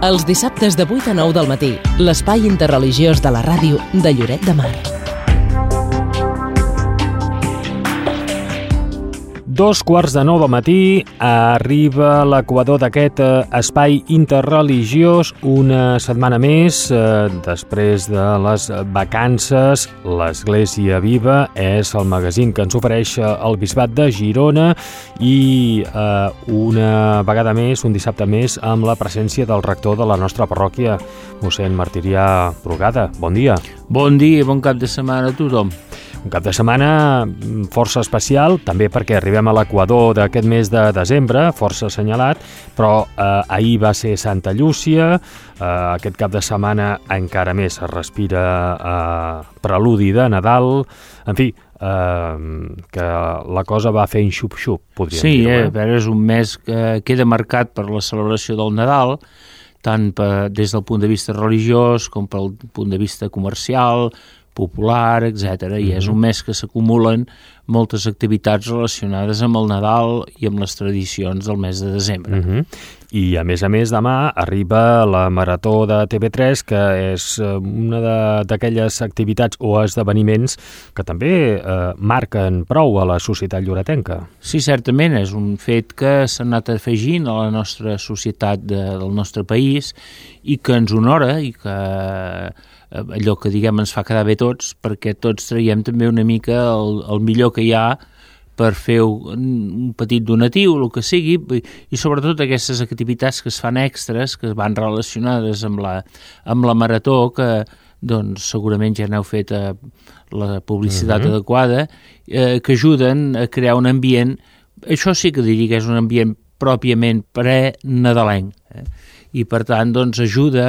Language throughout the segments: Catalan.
Els dissabtes de 8 a 9 del matí, l'espai interreligiós de la ràdio de Lloret de Mar. 2:45 del matí, arriba l'equador d'aquest espai interreligiós una setmana més. Després de les vacances, l'Església Viva és el magazín que ens ofereix el Bisbat de Girona i una vegada més, un dissabte més, amb la presència del rector de la nostra parròquia, mossèn Martirià Brugada. Bon dia. Bon dia i bon cap de setmana a tothom. Un cap de setmana força especial, també perquè arribem a l'equador d'aquest mes de desembre, força assenyalat, però ahir va ser Santa Llúcia, aquest cap de setmana encara més es respira preludi de Nadal, en fi, que la cosa va fent xup-xup, podríem dir. Sí, és un mes que queda marcat per la celebració del Nadal, tant des del punt de vista religiós com pel punt de vista comercial, popular, etc. I és un mes que s'acumulen moltes activitats relacionades amb el Nadal i amb les tradicions del mes de desembre. I a més, demà arriba la Marató de TV3, que és una d'aquelles activitats o esdeveniments que també marquen prou a la societat lloretenca. Sí, certament, és un fet que s'ha anat afegint a la nostra societat del nostre país i que ens honora i que allò que diguem ens fa quedar bé tots, perquè tots traiem també una mica el millor que hi ha per fer un petit donatiu, el que sigui, i sobretot aquestes activitats que es fan extres, que van relacionades amb la Marató, que doncs segurament ja n'heu fet la publicitat adequada, que ajuden a crear un ambient, això sí que diria que és un ambient pròpiament pre-nadalenc, i per tant doncs ajuda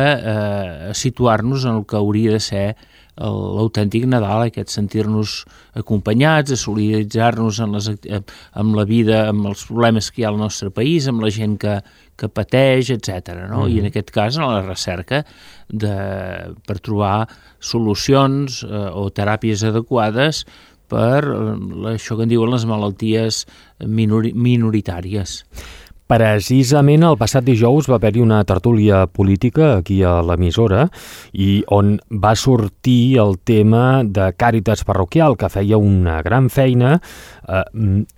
a situar-nos en el que hauria de ser l'autèntic Nadal, aquest sentir-nos acompanyats, a solidaritzar-nos amb la vida, amb els problemes que hi ha al nostre país, amb la gent que pateix, etc. No? I en aquest cas, en la recerca per trobar solucions o teràpies adequades per això que en diuen les malalties minoritàries. Precisament el passat dijous va haver-hi una tertúlia política aquí a l'emissora i on va sortir el tema de Càritas Parroquial, que feia una gran feina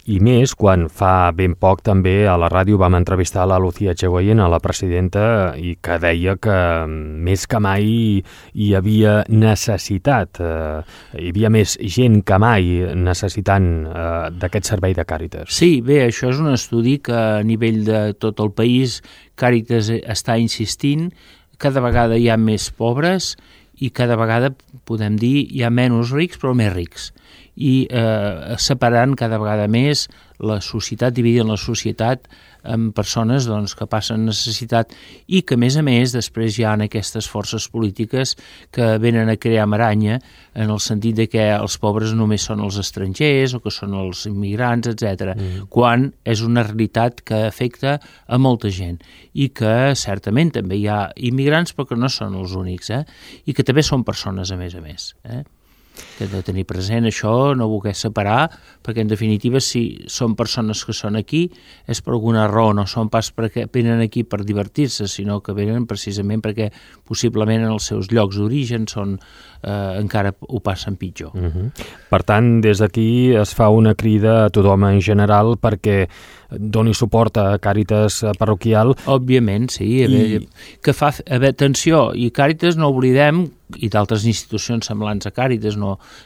i més quan fa ben poc també a la ràdio vam entrevistar la Lucía Echegoyen, la presidenta, i que deia que més que mai hi havia necessitat, hi havia més gent que mai necessitant d'aquest servei de Càritas. Sí, bé, això és un estudi que a nivell de tot el país Càritas està insistint, cada vegada hi ha més pobres i cada vegada, podem dir, hi ha menys rics però més rics i separant cada vegada més la societat, dividint la societat en persones doncs, que passen necessitat i que, a més, després hi ha aquestes forces polítiques que venen a crear maranya en el sentit de que els pobres només són els estrangers o que són els immigrants, etc. Quan és una realitat que afecta a molta gent i que certament també hi ha immigrants però que no són els únics, i que també són persones a més. Que hem de tenir present això, no voler separar, perquè en definitiva si són persones que són aquí és per alguna raó, no són pas perquè venen aquí per divertir-se, sinó que venen precisament perquè possiblement en els seus llocs d'origen encara ho passen pitjor. Per tant, des d'aquí es fa una crida a tothom en general perquè doni suport a Càritas Parroquial. Òbviament, sí. Que fa atenció, i Càritas no oblidem, i d'altres institucions semblants a Càritas,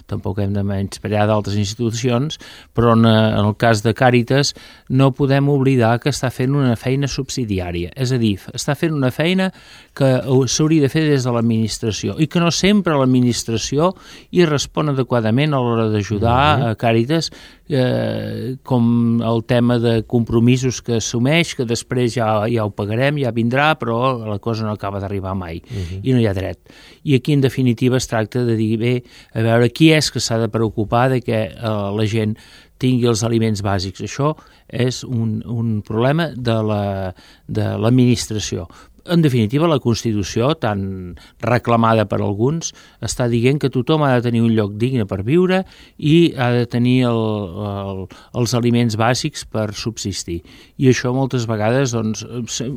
tampoc hem de menysprear d'altres institucions, però en el cas de Càritas no podem oblidar que està fent una feina subsidiària, és a dir, està fent una feina que s'hauria de fer des de l'administració i que no sempre l'administració hi respon adequadament a l'hora d'ajudar a Càritas, com el tema de compromisos que assumeix, que després ja ho pagarem, ja vindrà, però la cosa no acaba d'arribar mai i no hi ha dret. I aquí en definitiva es tracta de dir, bé, a veure qui és que s'ha de preocupar de que la gent tingui els aliments bàsics. Això és un problema de l'administració. En definitiva, la Constitució, tan reclamada per alguns, està dient que tothom ha de tenir un lloc digne per viure i ha de tenir els aliments bàsics per subsistir. I això moltes vegades doncs,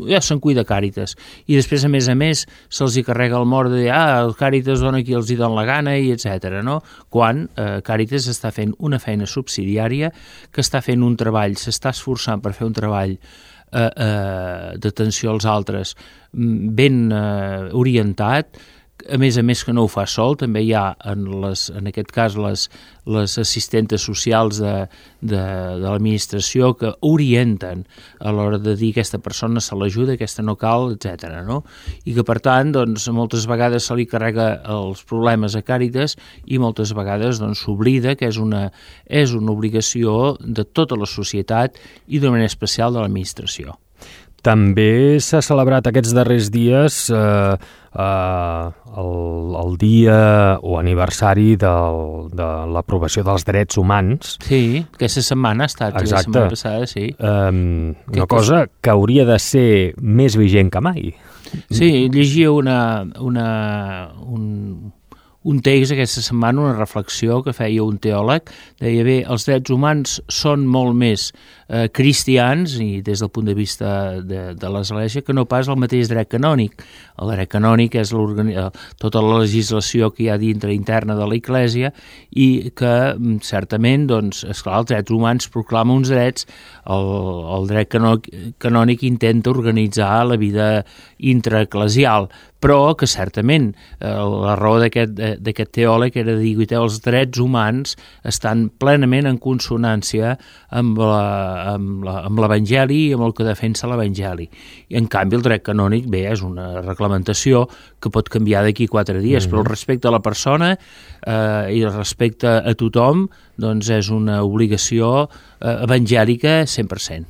ja se'n cuida Càritas. I després, a més, se'ls hi carrega el mort de dir el Càritas dona qui els hi dona la gana, i etc. No? Quan Càritas està fent una feina subsidiària, que està fent un treball, s'està esforçant per fer un treball d'atenció als altres ben orientat, a més que no ho fa sol, també hi ha en aquest cas les assistentes socials de l'administració que orienten a l'hora de dir aquesta persona se l'ajuda, aquesta no cal, etc. No? I que per tant doncs, moltes vegades se li carrega els problemes a Càritas i moltes vegades doncs, s'oblida que és una obligació de tota la societat i d'una manera especial de l'administració. També s'ha celebrat aquests darrers dies el dia o aniversari de l'aprovació dels drets humans. Sí, aquesta setmana ha estat. Exacte. La setmana passada, sí. Una cosa que hauria de ser més vigent que mai. Sí, llegia un text aquesta setmana, una reflexió que feia un teòleg, deia bé, els drets humans són molt més cristians i des del punt de vista de l'Església que no pas el mateix dret canònic. El dret canònic és tota la legislació que hi ha dintre interna de l'Església i que certament, doncs, esclar, els drets humans proclama uns drets, el dret canònic intenta organitzar la vida intraeclesial, però que certament la raó d'aquest teòleg era dir que els drets humans estan plenament en consonància amb l'Evangeli i amb el que defensa l'Evangeli. I en canvi el dret canònic, bé, és una reglamentació que pot canviar d'aquí 4 dies, però el respecte a la persona i el respecte a tothom doncs és una obligació evangèlica 100%.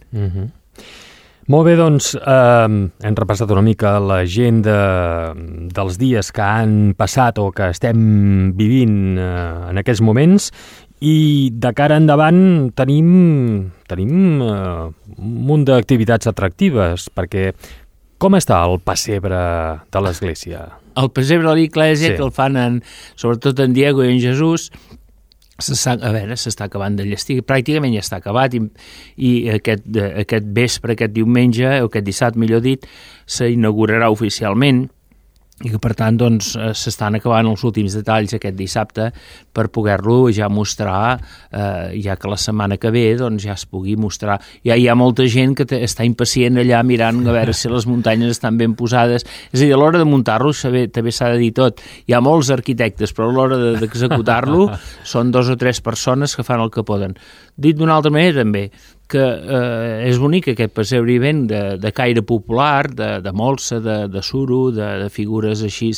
Molt bé, doncs hem repassat una mica l'agenda dels dies que han passat o que estem vivint en aquests moments i de cara endavant tenim un munt d'activitats atractives perquè com està el pessebre de l'Església? El pessebre de l'Església, sí, que el fan sobretot en Diego i en Jesús, s'està acabant de llestir, pràcticament ja està acabat i aquest vespre, aquest diumenge, o aquest dissabte, millor dit, s'inaugurarà oficialment i que per tant doncs, s'estan acabant els últims detalls aquest dissabte per poder-lo ja mostrar, ja que la setmana que ve doncs, ja es pugui mostrar. Ja hi ha molta gent que està impacient allà mirant a veure si les muntanyes estan ben posades. És a dir, a l'hora de muntar-lo també s'ha de dir tot. Hi ha molts arquitectes, però a l'hora d'executar-lo són 2 o 3 persones que fan el que poden. Dit d'una altra manera també, que és bonic aquest pessebre hivern de caire popular, de molsa, de suro, de figures així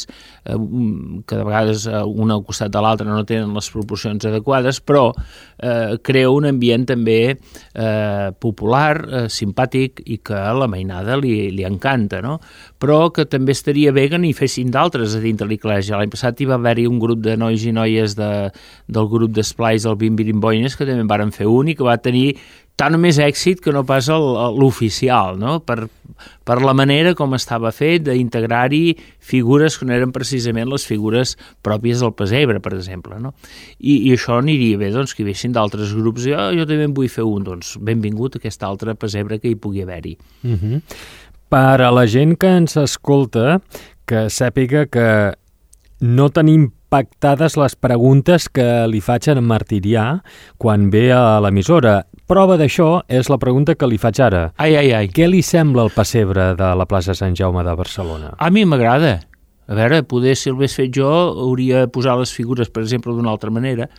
que de vegades un al costat de l'altre no tenen les proporcions adequades, però crea un ambient també popular, simpàtic i que a la mainada li encanta, no? Però que també estaria bé que n'hi fessin d'altres a dintre l'Església. L'any passat hi va haver-hi un grup de nois i noies del grup d'esplais del Bimbirimboines que també en varen fer un i que va tenir tant o més èxit que no pas l'oficial, no? Per la manera com estava fet d'integrar-hi figures que no eren precisament les figures pròpies del pessebre, per exemple, no? I això aniria bé, doncs, que hi vessin d'altres grups i jo també en vull fer un, doncs benvingut a aquest altre pessebre que hi pugui haver-hi. Per a la gent que ens escolta, que sàpiga que no tenim pactades les preguntes que li faig a en Martirià quan ve a l'emissora. Prova d'això és la pregunta que li faig ara. Ai. Què li sembla el pessebre de la plaça Sant Jaume de Barcelona? A mi m'agrada. A veure, poder si el hagués fet jo hauria de posar les figures, per exemple, d'una altra manera,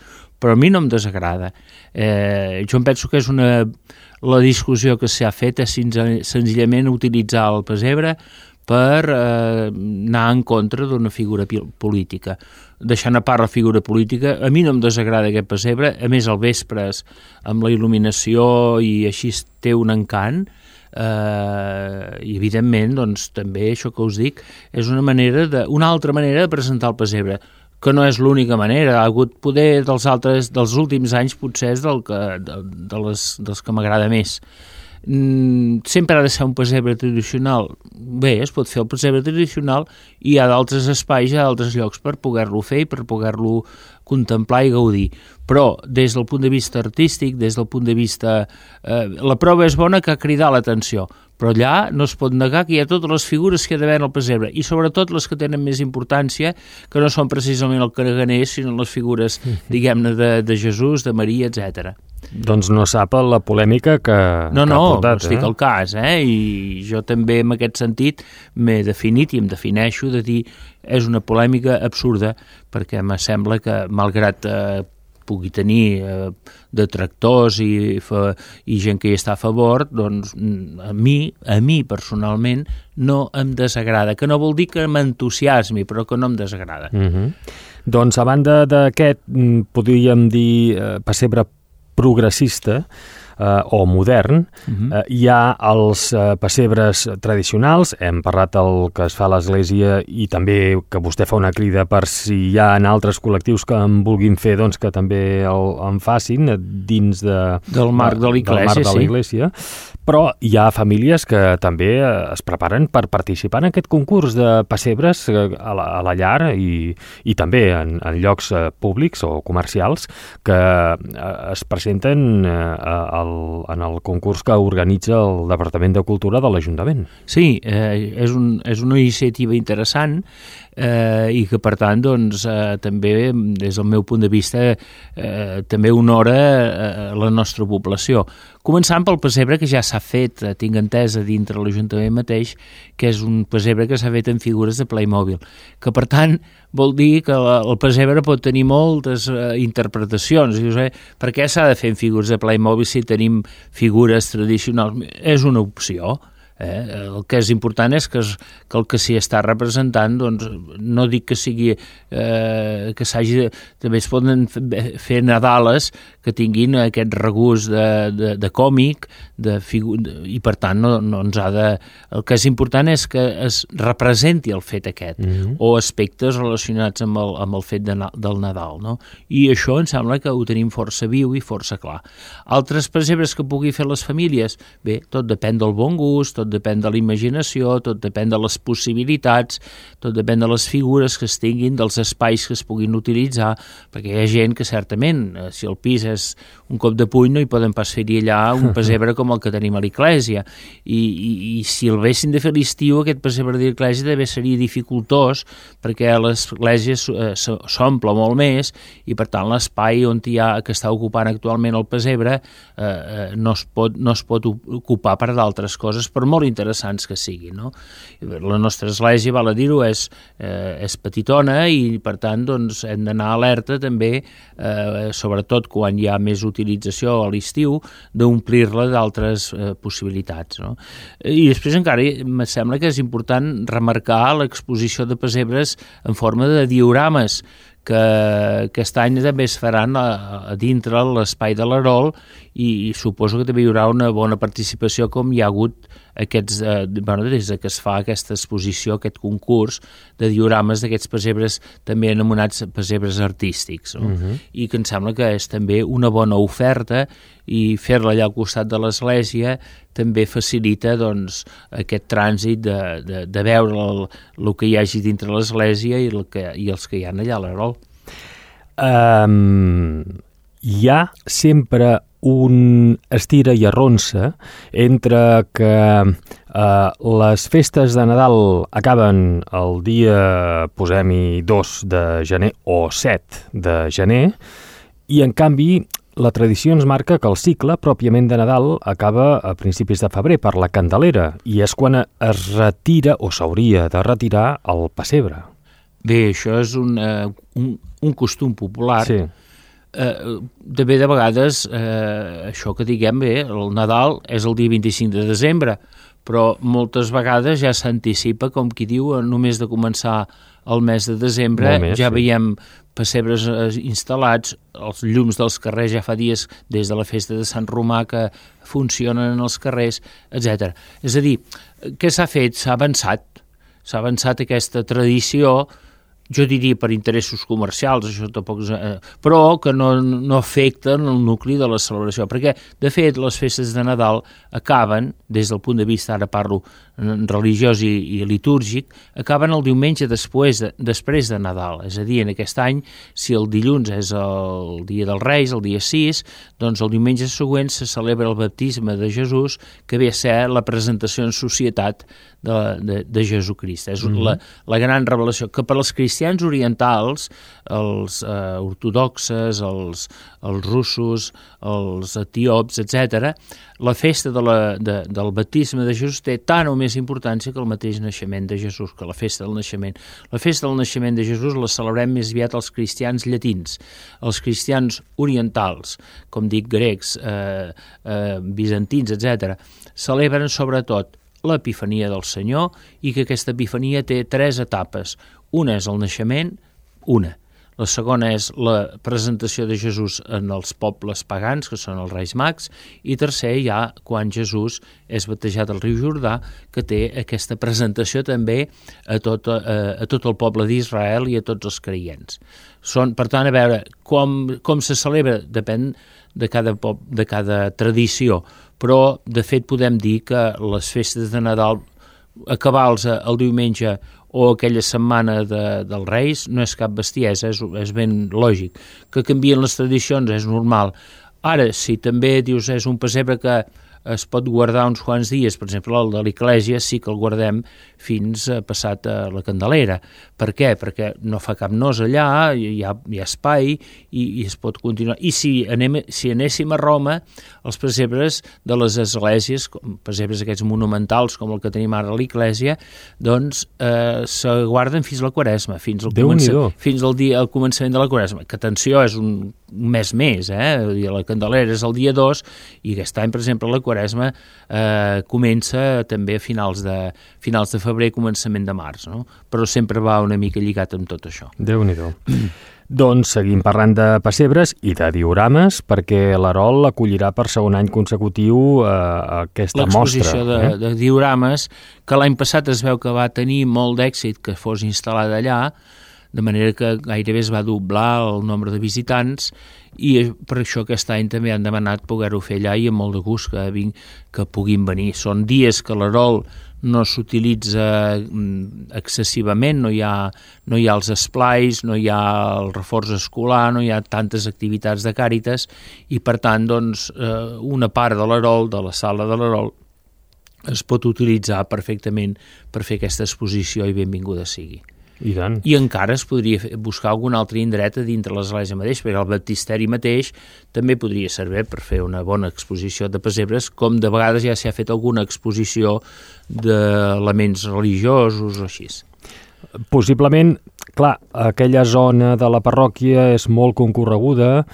però a mi no em desagrada. Jo em penso que és la discussió que s'ha fet és senzillament utilitzar el pessebre per anar en contra d'una figura política. Deixant a part la figura política, a mi no em desagrada aquest pessebre, a més al vespre amb la il·luminació i així té un encant, i evidentment doncs, també això que us dic és una altra manera de presentar el pessebre, que no és l'única manera. Ha hagut poder dels últims anys potser és dels que m'agrada més. sempre ha de ser un pessebre tradicional. Bé, es pot fer el pessebre tradicional i hi ha d'altres espais, hi ha d'altres llocs per poder-lo fer i per poder-lo contemplar i gaudir. Però des del punt de vista artístic, des del punt de vista... la prova és bona que ha cridat l'atenció, però allà no es pot negar que hi ha totes les figures que hi ha d'haver en el pessebre, i sobretot les que tenen més importància, que no són precisament el caraganer, sinó les figures, diguem-ne, de Jesús, de Maria, etc. Doncs no sap la polèmica que ha portat. No estic al cas, i jo també en aquest sentit m'he definit i em defineixo de dir és una polèmica absurda, perquè me sembla que malgrat pugui tenir detractors i gent que hi està a favor, doncs a mi personalment no em desagrada, que no vol dir que m'entusiasmi, però que no em desagrada. Doncs a banda d'aquest, podríem dir pessebre progressista o modern, hi ha els pessebres tradicionals, hem parlat del que es fa a l'església i també que vostè fa una crida per si hi ha altres col·lectius que en vulguin fer, doncs que també en facin dins del marc de l'Església, però hi ha famílies que també es preparen per participar en aquest concurs de pessebres a la llar i també en llocs públics o comercials que es presenten en el concurs que organitza el Departament de Cultura de l'Ajuntament. Sí, és una iniciativa interessant i que, per tant, doncs, també, des del meu punt de vista, també honora la nostra població. Començant pel pessebre que ja s'ha fet, tinc entesa, dintre l'Ajuntament mateix, que és un pessebre que s'ha fet en figures de Playmobil, que, per tant, vol dir que el pessebre pot tenir moltes interpretacions. Dius, per què s'ha de fer en figures de Playmobil si tenim figures tradicionals? És una opció. El que és important és que el que s'hi està representant, doncs, no dic que sigui que s'hagi també es poden fer Nadales que tinguin aquest regust de còmic i per tant no ens ha de... El que és important és que es representi el fet aquest o aspectes relacionats amb el fet del Nadal, no? I això em sembla que ho tenim força viu i força clar. Altres pessebres que pugui fer les famílies, bé, tot depèn del bon gust, tot depèn de la imaginació, tot depèn de les possibilitats, tot depèn de les figures que es tinguin, dels espais que es puguin utilitzar, perquè hi ha gent que certament, si el pis és un cop de puny, no hi poden pas fer-hi allà un pessebre com el que tenim a l'església, i si el haguessin de fer a l'estiu, aquest pessebre de l'església també seria dificultós, perquè l'església s'omple molt més, i per tant l'espai on hi ha, que està ocupant actualment el pessebre no es pot ocupar per d'altres coses, per molt interessants que siguin, no? La nostra església, val a dir-ho, és petitona i, per tant, doncs, hem d'anar alerta també, sobretot quan hi ha més utilització a l'estiu, d'omplir-la d'altres possibilitats, no? I després encara em sembla que és important remarcar l'exposició de pessebres en forma de diorames, que aquest any també es faran a dintre l'espai de l'Arol i suposo que també hi haurà una bona participació com hi ha hagut des que es fa aquesta exposició, aquest concurs de diorames d'aquests pessebres també anomenats pessebres artístics, no? I que em sembla que és també una bona oferta i fer-la allà al costat de l'església també facilita, doncs, aquest trànsit de veure el que hi hagi dintre l'església i els que hi ha allà a l'Arol. Hi ha sempre un estira i arronsa entre que les festes de Nadal acaben el dia, posem-hi, 2 de gener o 7 de gener, i en canvi la tradició ens marca que el cicle pròpiament de Nadal acaba a principis de febrer per la Candelera, i és quan es retira o s'hauria de retirar el pessebre. Bé, això és un costum popular. Sí. També de vegades, això que diguem, bé, el Nadal és el dia 25 de desembre, però moltes vegades ja s'anticipa, com qui diu, només de començar el mes de desembre, ja veiem pessebres instal·lats, els llums dels carrers ja fa dies, des de la festa de Sant Romà, que funcionen en els carrers, etc. És a dir, què s'ha fet? S'ha avançat aquesta tradició jo diria per interessos comercials, això tampoc però que no afecten el nucli de la celebració, perquè de fet les festes de Nadal acaben, des del punt de vista, ara parlo religiós i litúrgic, acaben el diumenge després de Nadal, és a dir, en aquest any, si el dilluns és el dia dels Reis, el dia 6, doncs el diumenge següent se celebra el baptisme de Jesús, que ve a ser la presentació en societat de Jesucrist. És la gran revelació, que per als cristians orientals, els ortodoxes, els russos, els etíops, etc., la festa del baptisme de Jesús té tant o més importància que el mateix naixement de Jesús, que la festa del naixement. La festa del naixement de Jesús la celebrem més aviat els cristians llatins. Els cristians orientals, com dic, grecs, bizantins, etc., celebren sobretot l'Epifania del Senyor, i que aquesta Epifania té 3 etapes. Una és el naixement, la segona és la presentació de Jesús en els pobles pagans, que són els Reis Mags, i tercer ja quan Jesús és batejat al riu Jordà, que té aquesta presentació també a tot el poble d'Israel i a tots els creients. Per tant, a veure, com se celebra depèn de cada tradició, però de fet podem dir que les festes de Nadal, acabar-los el diumenge o aquella setmana dels Reis, no és cap bestiesa, és ben lògic. Que canvien les tradicions és normal. Ara, si també dius és un pessebre que es pot guardar uns quants dies, per exemple, el de l'Església sí que el guardem fins passat a la Candelera. Per què? Perquè no fa cap nos allà, hi ha espai i es pot continuar. I si anéssim a Roma, els pessebres de les esglésies, pessebres aquests monumentals com el que tenim ara a l'Església, doncs se guarden fins a la Quaresma, fins al començament de la Quaresma, que atenció, és un mes més, la Candelera és el dia 2 i aquest any, per exemple, la Quaresma comença també a finals de febrer, començament de març, no? Però sempre va una mica lligat amb tot això. Déu-n'hi-do. Doncs seguim parlant de pessebres i de diorames, perquè l'Arol acollirà per segon any consecutiu aquesta mostra. L'exposició de diorames, que l'any passat es veu que va tenir molt d'èxit que fos instal·lada allà, de manera que gairebé es va doblar el nombre de visitants, i per això aquest any també han demanat poder-ho fer allà, i amb molt de gust que puguin venir. Són dies que l'Arol no s'utilitza excessivament, no hi ha els esplais, no hi ha el reforç escolar, no hi ha tantes activitats de Càritas, i per tant doncs, una part de l'Arol, de la sala de l'Arol, es pot utilitzar perfectament per fer aquesta exposició, i benvinguda sigui. I encara es podria buscar algun altre indret a dintre l'església mateix, perquè el baptisteri mateix també podria servir per fer una bona exposició de pessebres, com de vegades ja s'ha fet alguna exposició d'elements religiosos o així. Possiblement, clar, aquella zona de la parròquia és molt concorreguda,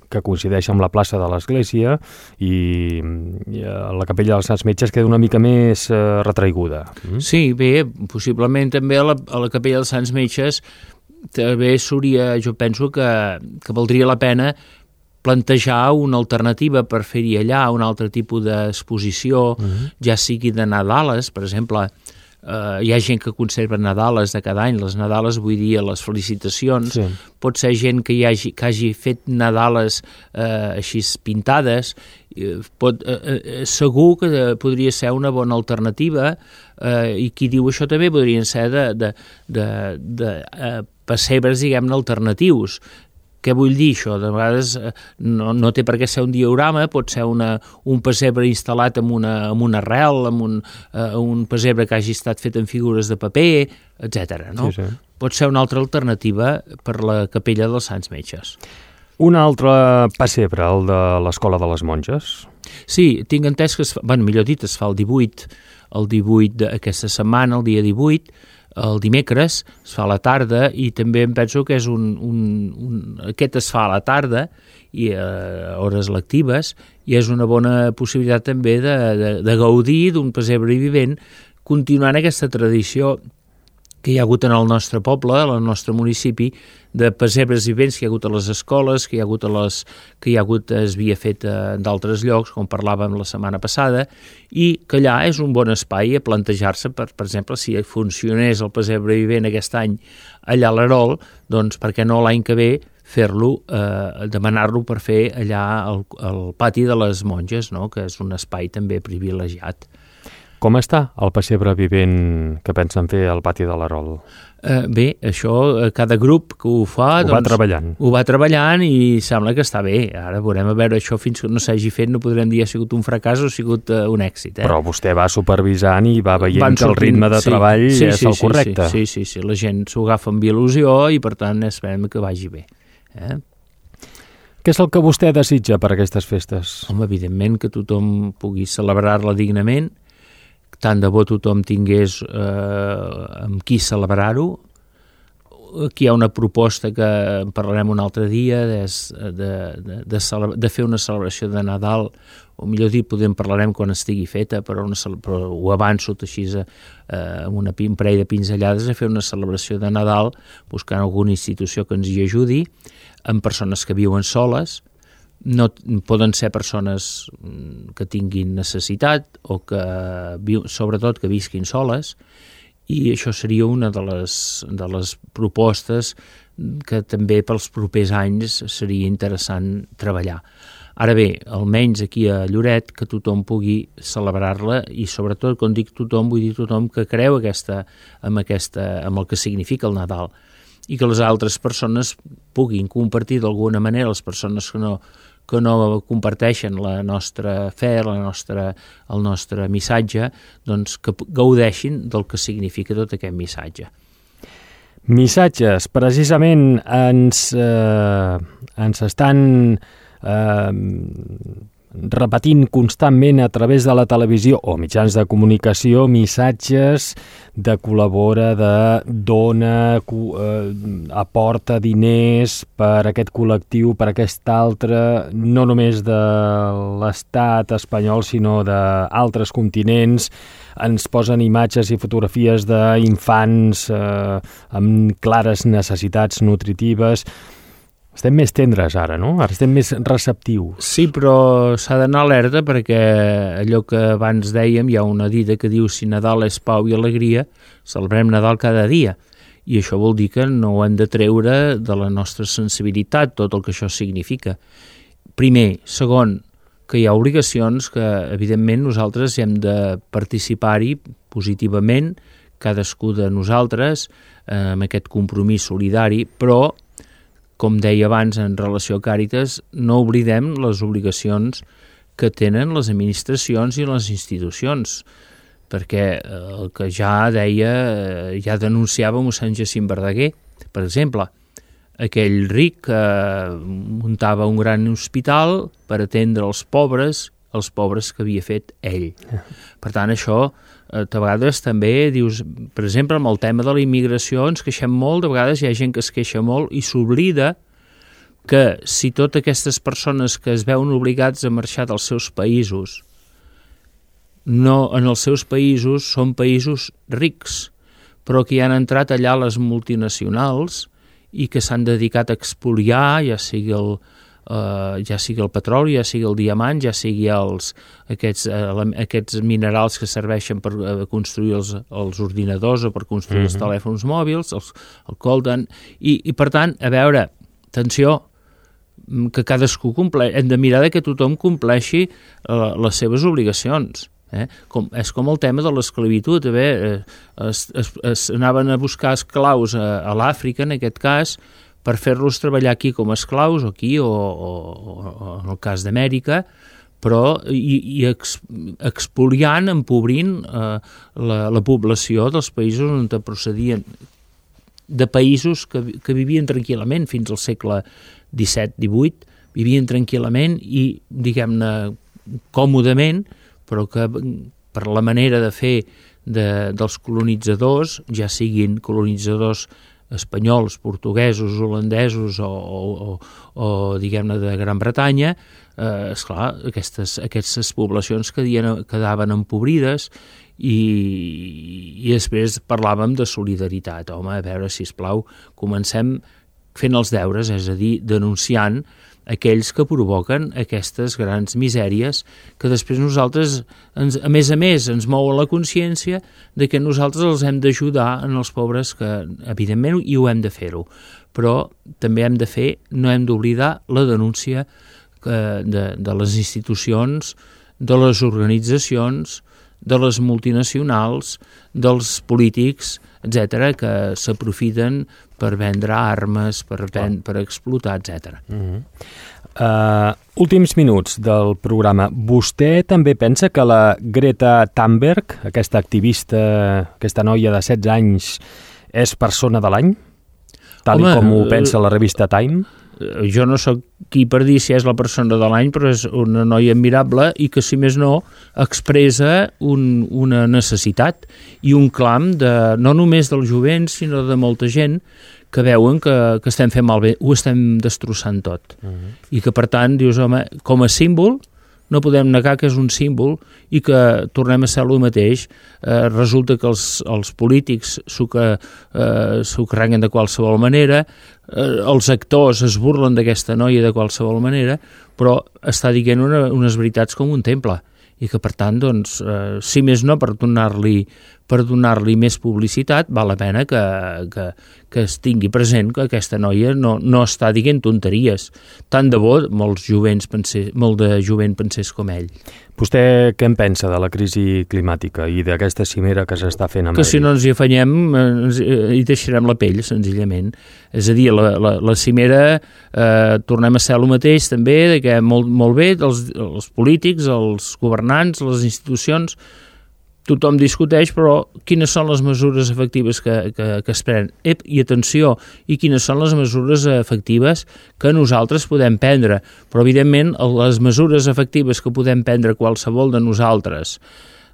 que coincideix amb la plaça de l'església, i la capella dels Sants Metges queda una mica més retraiguda. Sí, bé, possiblement també a la capella dels Sants Metges també jo penso que valdria la pena plantejar una alternativa per fer-hi allà un altre tipus d'exposició, ja sigui de Nadales, per exemple. Hi ha gent que conserva Nadales de cada any, les Nadales vull dir les felicitacions, sí. Pot ser gent que hagi fet Nadales així pintades, segur que podria ser una bona alternativa, i qui diu això també podrien ser de pessebres, diguem-ne, alternatius. Què vull dir això? De vegades no té per què ser un diorama, pot ser un pessebre instal·lat amb una arrel, amb un pessebre que hagi estat fet en figures de paper, etc. No? Sí. Pot ser una altra alternativa per la capella dels Sants Metges. Un altre pessebre, el de l'Escola de les Monges? Sí, tinc entès que es fa el 18 d'aquesta setmana, el dia 18, el dimecres, es fa a la tarda, i també em penso que és aquest es fa a la tarda i a hores lectives, i és una bona possibilitat també de gaudir d'un pessebre vivent, continuant aquesta tradició que hi ha hagut en el nostre poble, en el nostre municipi, de pessebres vivents que hi ha hagut a les escoles, que hi ha hagut es havia fet d'altres llocs, com parlàvem la setmana passada, i que allà és un bon espai a plantejar-se, per exemple, si funcionés el pessebre vivent aquest any allà a l'Erol, doncs per què no l'any que ve fer-lo, demanar-lo per fer allà al pati de les monges, no? Que és un espai també privilegiat. Com està el pessebre vivent que pensen fer al pati de l'Erol? Bé, això, cada grup que ho fa... Ho va treballant. Ho va treballant i sembla que està bé. Ara veurem a veure això, fins que no s'hagi fet, no podrem dir ha sigut un fracàs o ha sigut un èxit. Però vostè va supervisant i va veient que el ritme de treball és el correcte. Sí, la gent s'ho agafa amb il·lusió i per tant esperem que vagi bé. Què és el que vostè desitja per aquestes festes? Home, evidentment que tothom pugui celebrar-la dignament, tant de bo tothom tingués amb qui celebrar-ho. Aquí hi ha una proposta que en parlarem un altre dia de fer una celebració de Nadal, o millor dit, en parlarem quan estigui feta, però ho avanço així amb un parell de pinzellades, a fer una celebració de Nadal buscant alguna institució que ens hi ajudi, amb persones que viuen soles. No poden ser persones que tinguin necessitat o que sobretot que visquin soles, i això seria una de les propostes que també pels propers anys seria interessant treballar. Ara bé, almenys aquí a Lloret, que tothom pugui celebrar-la i sobretot, quan dic tothom, vull dir tothom que creu amb el que significa el Nadal, i que les altres persones puguin compartir d'alguna manera, les persones que no comparteixen la nostra fe, el nostre missatge, doncs que gaudeixin del que significa tot aquest missatge. Missatges, precisament ens estan repetint constantment a través de la televisió o mitjans de comunicació missatges de col·labora, de dona, aporta diners per aquest col·lectiu, per aquest altre, no només de l'estat espanyol, sinó d'altres continents. Ens posen imatges i fotografies d'infants amb clares necessitats nutritives. Estem més tendres ara, no? Ara estem més receptius. Sí, però s'ha d'anar alerta perquè allò que abans dèiem, hi ha una dita que diu si Nadal és pau i alegria, celebrem Nadal cada dia. I això vol dir que no ho hem de treure de la nostra sensibilitat, tot el que això significa. Primer. Segon, que hi ha obligacions que, evidentment, nosaltres hem de participar-hi positivament, cadascú de nosaltres, amb aquest compromís solidari, però com deia abans en relació a Càritas, no oblidem les obligacions que tenen les administracions i les institucions, perquè el que ja denunciava mossèn Jacint Verdaguer, per exemple, aquell ric que muntava un gran hospital per atendre els pobres que havia fet ell. Per tant, això a vegades també dius, per exemple, amb el tema de la immigració ens queixem molt, de vegades hi ha gent que es queixa molt i s'oblida que si totes aquestes persones que es veuen obligats a marxar dels seus països, no en els seus països són països rics, però que hi han entrat allà les multinacionals i que s'han dedicat a expoliar, ja sigui el petroli, ja sigui el diamant, ja sigui aquests minerals que serveixen per construir els ordinadors o per construir els telèfons mòbils, el coltan, i per tant, a veure, atenció, que cadascú hem de mirar que tothom compleixi les seves obligacions. És com el tema de l'esclavitud. Anaven a buscar esclaus a l'Àfrica, en aquest cas, per fer-los treballar aquí com a esclaus, o aquí, o en el cas d'Amèrica, però i expoliant, empobrint la població dels països on procedien, de països que vivien tranquil·lament fins al segle XVII-XVIII, vivien tranquil·lament i, diguem-ne, còmodament, però que per la manera de fer dels colonitzadors, ja siguin colonitzadors espanyols, portuguesos, holandesos o diguem-ne, de Gran Bretanya, esclar, aquestes poblacions quedaven empobrides i després parlàvem de solidaritat. Home, a veure, sisplau, comencem fent els deures, és a dir, denunciant aquells que provoquen aquestes grans misèries que després nosaltres, a més, ens mou la consciència de que nosaltres els hem d'ajudar en els pobres, que evidentment i ho hem de fer-ho, però també no hem d'oblidar la denúncia de les institucions, de les organitzacions, de les multinacionals, dels polítics, etc., que s'aprofiten per vendre armes, per explotar, etc. Últims minuts del programa. Vostè també pensa que la Greta Thunberg, aquesta activista, aquesta noia de 16 anys, és persona de l'any? Tal com ho pensa la revista Time? Jo no sóc qui per dir si és la persona de l'any, però és una noia admirable i que, si més no, expressa una necessitat i un clam no només del jovent, sinó de molta gent que veuen que estem fent malbé, ho estem destrossant tot. I que, per tant, dius, home, com a símbol, no podem negar que és un símbol i que tornem a ser el mateix. Resulta que els polítics s'ho carreguen de qualsevol manera, els actors es burlen d'aquesta noia de qualsevol manera, però està dient unes veritats com un temple i que, per tant, doncs, si més no, per donar-li més publicitat, val la pena que es tingui present que aquesta noia no està dient tonteries. Tant de bo molt de jovent pensés com ell. Vostè què en pensa de la crisi climàtica i d'aquesta cimera que s'està fent a Madrid? Que si no ens hi afanyem, hi deixarem la pell, senzillament. És a dir, la cimera tornem a ser el mateix també, de que molt bé, els polítics, els governants, les institucions, tothom discuteix, però quines són les mesures efectives que es prenen? I atenció, i quines són les mesures efectives que nosaltres podem prendre? Però, evidentment, les mesures efectives que podem prendre qualsevol de nosaltres,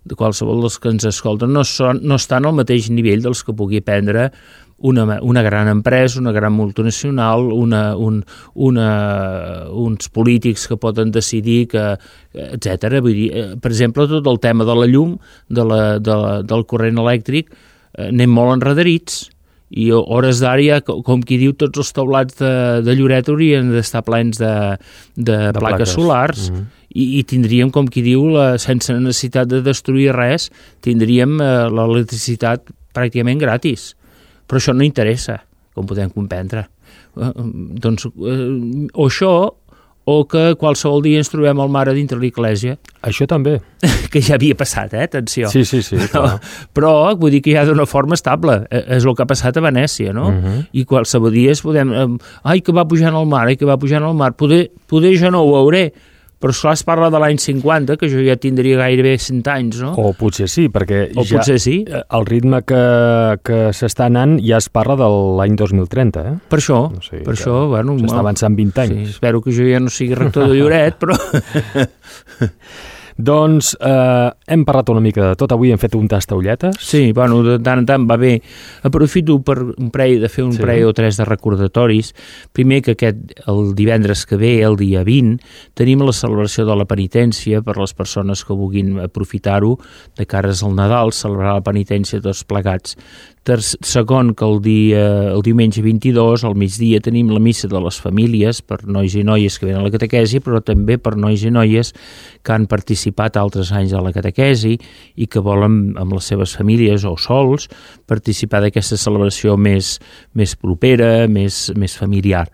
de qualsevol dels que ens escolten, no estan al mateix nivell dels que pugui prendre una gran empresa, una gran multinacional, uns polítics que poden decidir, etc. Vull dir, per exemple, tot el tema de la llum, del corrent elèctric, anem molt enredarits i a hores d'ara, com qui diu, tots els taulats de Lloret haurien d'estar plens de plaques solars. I tindríem, com qui diu, sense necessitat de destruir res, tindríem l'electricitat pràcticament gratis. Però això no interessa, com podem comprendre. Doncs, o això, o que qualsevol dia ens trobem al mar a dintre l'església. Això també. Que ja havia passat, atenció. Sí, clar. Però vull dir que ja d'una forma estable. És el que ha passat a Venècia, no? I qualsevol dia podem... que va pujant al mar, que va pujant al mar. Poder jo no ho veuré, però esclar, es parla de l'any 50, que jo ja tindria gairebé 100 anys, no? O potser sí, perquè el ritme que s'està anant ja es parla de l'any 2030, eh? Per això, bueno... S'està avançant 20 anys. Sí, espero que jo ja no sigui rector de Lloret, però... Doncs hem parlat una mica de tot. Avui hem fet un tastaulletes. Sí, bueno, de tant en tant va bé. Aprofito per de fer un parell o tres de recordatoris. Primer, que el divendres que ve, el dia 20, tenim la celebració de la penitència per les persones que vulguin aprofitar-ho de cares al Nadal, celebrar la penitència tots plegats. Segon, que el diumenge 22, al migdia, tenim la missa de les famílies per nois i noies que venen a la catequesi, però també per nois i noies que han participat altres anys a la catequesi i que volen, amb les seves famílies o sols, participar d'aquesta celebració més propera, més familiar.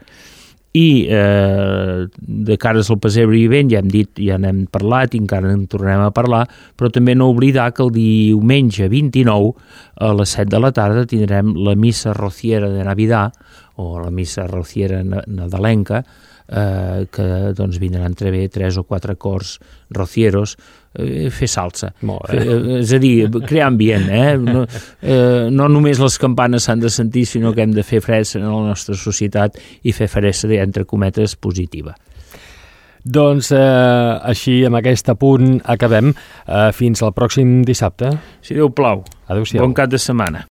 I de cares al pessebre vivent, ja hem dit, ja n'hem parlat i encara en tornarem a parlar, però també no oblidar que el diumenge 29 a les 7 de la tarda tindrem la missa rociera de Navidad, o la missa rociera nadalenca, que doncs vindran també 3 o 4 cors rocieros, fer salsa. És a dir, crear ambient, no només les campanes s'han de sentir, sinó que hem de fer fressa en la nostra societat i fer fressa, entre cometes, positiva. Doncs així, amb aquest punt, acabem. Fins al pròxim dissabte. Si Déu plau. Adéu-siau. Bon cap de setmana.